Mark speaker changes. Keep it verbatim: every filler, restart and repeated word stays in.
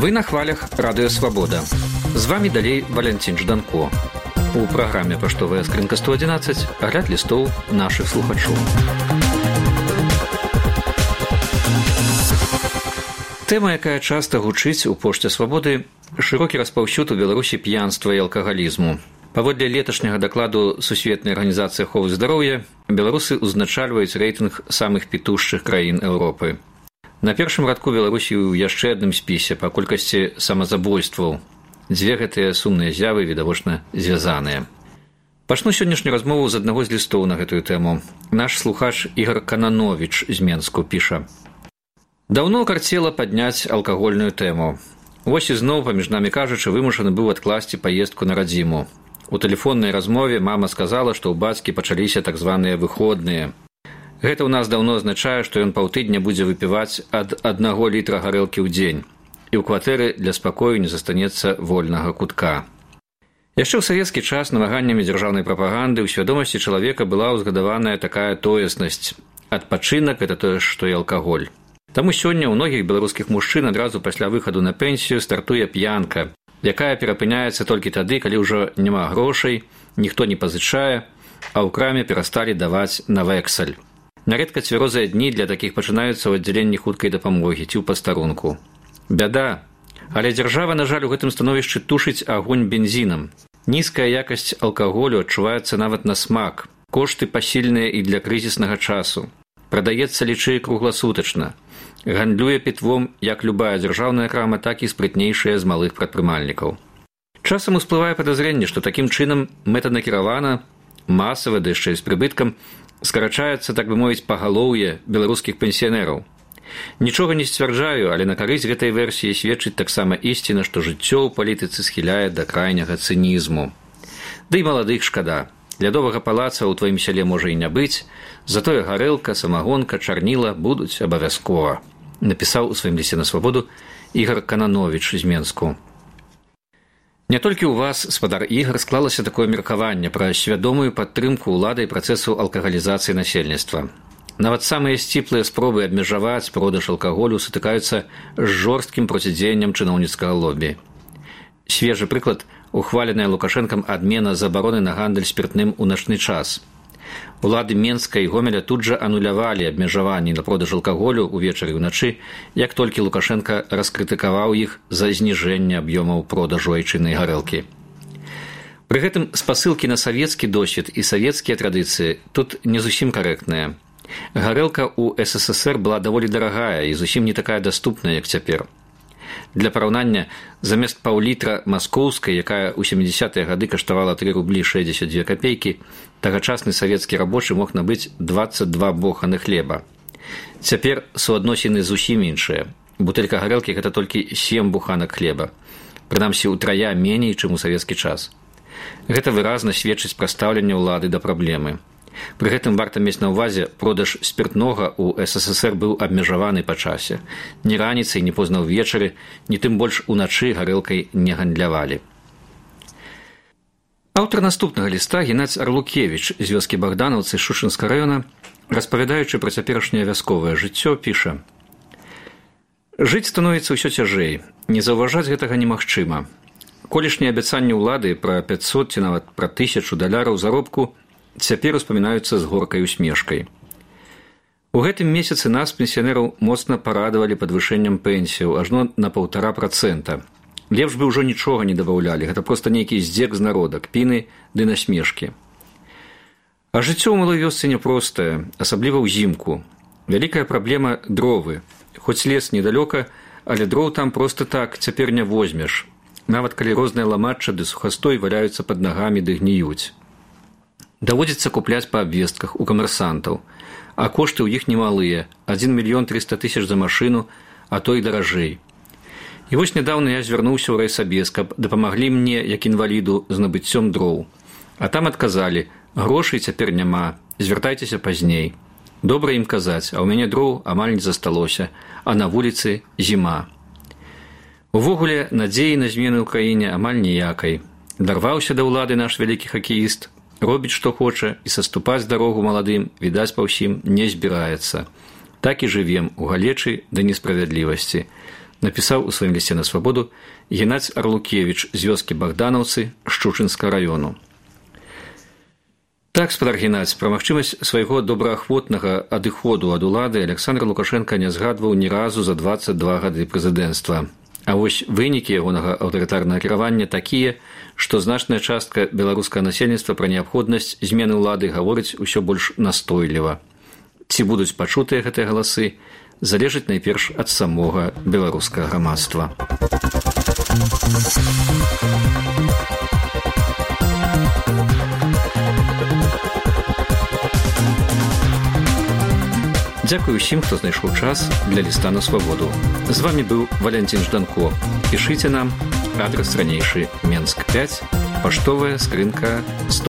Speaker 1: Вы на хвалях Радыё Свабода. З вами далей Валянцін Жданко. У праграме «Паштовая скрынка сто адзінаццаць» агляд лістоў нашых слухачоў. Тэма, якая часта гучыць у пошце Свабоды, шырокі распаўсюд у Беларусі п'янства і алкагалізму. Паводле леташняга дакладу Сусветнай арганізацыі аховы здароўя, беларусы ўзначальваюць рэйтынг самых пітушчых краін Еўропы. На першым радку Беларусі ў яшчэ адным спісе па колькасці самазабойстваў. Дзве гэтыя сумныя з'явы відавочна звязаныя. Пачну сённяшнюю размову з аднаго з лістоў на гэтую тэму. Наш слухач Ігар Канановіч з Менску піша: «Даўно карцела падняць алкагольную тэму. Вось ізноў, паміж намі кажучы, вымушаны быў адкласці паездку на радзіму. У тэлефоннай размове мама сказала, што ў бацькі пачаліся так званыя выходныя. Гэта ў нас даўно азначае, што ён паўтыдня будзе выпіваць ад аднаго літра гарэлкі ў дзень, і ў кватэры для спакою не застанецца вольнага кутка». Яшчэ ў савецкі час намаганнямі дзяржаўнай прапаганды ў свядомасці чалавека была ўзгадаваная такая тоеснасць. Адпачынак – гэта тое, што і алкаголь. Таму сёння ў многіх беларускіх мужчын адразу пасля выхаду на пенсію стартуе п'янка, якая перапыняецца толькі тады, калі ўжо няма грошай, ніхто не пазычае, а ў краме перасталі даваць на вэксаль. Нярэдка цвярозыя дні для такіх пачынаюцца ў аддзяленні хуткай дапамогі ці ў пастарунку. Бяда, але дзяржава, на жаль, у гэтым становішчы тушыць агонь бензінам. Нізкая якасць алкаголю адчуваецца нават на смак, кошты пасільныя і для крызіснага часу. Прадаецца лічэй кругласутачна. Гандлюе пітвом як любая дзяржаўная крама, так і спрытнейшая з малых прадпрымальнікаў. Часам усплывае падазрэнне, што такім чынам мэтанакіравана, масава, да яшчэ з прыбыткам, скарачаецца, так бы мовіць, пагалоўе беларускіх пенсіянераў. Нічога не сцвярджаю, але на карысць гэтай версіі сведчыць таксама ісціна, што жыццё ў палітыцы схіляе да крайняга цынізму. Ды і маладых шкада. Лядовага палаца ў тваім сяле можа і не быць, затое гарэлка, самагонка, чарніла будуць абавязкова, напісаў у сваім лісце на Свабоду Ігар Канановіч з Менску. Не толькі ў вас, спадар Ігар, склалася такое меркаванне пра свядомую падтрымку ўлады і працэсу алкагалізацыі насельніцтва. Нават самыя сціплыя спробы абмежаваць продаж алкаголю сутыкаюцца з жорсткім процідзеяннем чыноўніцкага лобі. Свежы прыклад – ухваленая Лукашэнкам адмена забароны на гандаль спіртным у начны час. Улады Менска і Гомеля тут жа анулявалі абмежаванні на продаж алкаголю ўвечары і ўначы, як толькі Лукашенка раскрытыкаваў іх за зніжэнне аб'ёмаў продажу айчыннай гарэлкі. Пры гэтым спасылкі на савецкі досвед і савецкія традыцыі тут не зусім карэктныя. Гарэлка ў эс эс эс эр была даволі дарагая і зусім не такая даступная, як цяпер. Для параўнання, замест паўлітра маскоўскай, якая ў сямідзясятыя гады каштавала тры рублі шэсцьдзесят дзве капейкі, тагачасны савецкі рабочы мог набыць дваццаць два боханы хлеба. Цяпер суадносіны зусім іншыя. Бутэлька гарэлкі – гэта толькі сем буханак хлеба. Прынамсі, утрая меней, чым у савецкі час. Гэта выразна сведчыць пра стаўленне ўлады да праблемы. Пры гэтым варта мець на ўвазе, продаж спіртнога ў эс эс эс эр быў абмежаваны па часе. Ні раніцай, ні позна ўвечары, ні тым больш уначы гарэлкай не гандлявалі. Аўтар наступнага ліста Геннадзь Арлукевіч з вёскі Богдановцы Шушынскага раёна, распавядаючы пра цяперашняе вясковае жыццё, піша: «Жыць становіцца ўсё цяжэй. Не заўважаць гэтага немагчыма. Колішнія абяцанні ўлады пра пяцьсот ці нават пра тысячу даляраў заробку цяпер успамінаюцца з горкай усмешкай. У гэтым месяцы нас, пенсіянераў, моцна парадавалі падвышэннем пенсіяў, ажно на паўтара працэнта. Лепш бы ўжо нічога не дабаўлялі, гэта проста нейкі здзек з народа, кпіны ды насмешкі. А жыццё ў малой вёсцы няпростае, асабліва ўзімку. Вялікая праблема – дровы. Хоць лес недалёка, але дроў там проста так цяпер не возьмеш. Нават калі розныя ламачча ды сухастой валяюцца пад нагамі ды гніюць. Даводзіцца купляць па абвестках у камерсантаў, а кошты ў іх немалыя – адзін мільён трыста тысяч за машыну, а то і даражэй. І вось нядаўна я звярнуўся ў райсабез, каб дапамаглі мне, як інваліду, з набыццём дроў. А там адказалі: грошай цяпер няма, звяртайцеся пазней. Добра ім казаць, а ў мяне дроў амаль не засталося, а на вуліцы зіма. Увогуле, надзеі на змены ў краіне амаль ніякай. Дарваўся да ўлады наш вялікі хакеіст, робіць, што хоча, і саступаць дарогу маладым, відаць па ўсім, не збіраецца. Так і жывем у галечы да несправядлівасці. напісаў у сваім лісце на свабоду Геннадзь Арлукевіч з вёскі Богданаўцы Шчучынскага раёну. Так, спадар Геннадзь, пра магчымасць свайго добраахвотнага адыходу ад улады Александр Лукашенко не згадваў ні разу за дваццаць два гады прэзідэнцтва. А вось вынікі ягонага аўтарытарнага кіравання такія, што значная частка беларускага насельніцтва пра неабходнасць змены ўлады гаворыць усё больш настойліва. Ці будуць пачутыя гэтыя галасы, залежыць найперш ад самога беларускага грамадства. Дзякую ўсім, хто знайшоў час для ліста на свабоду. З вамі быў Валянцін Жданко. Пішыце нам, адрас ранейшы Менск пяць, паштовая скрынка сто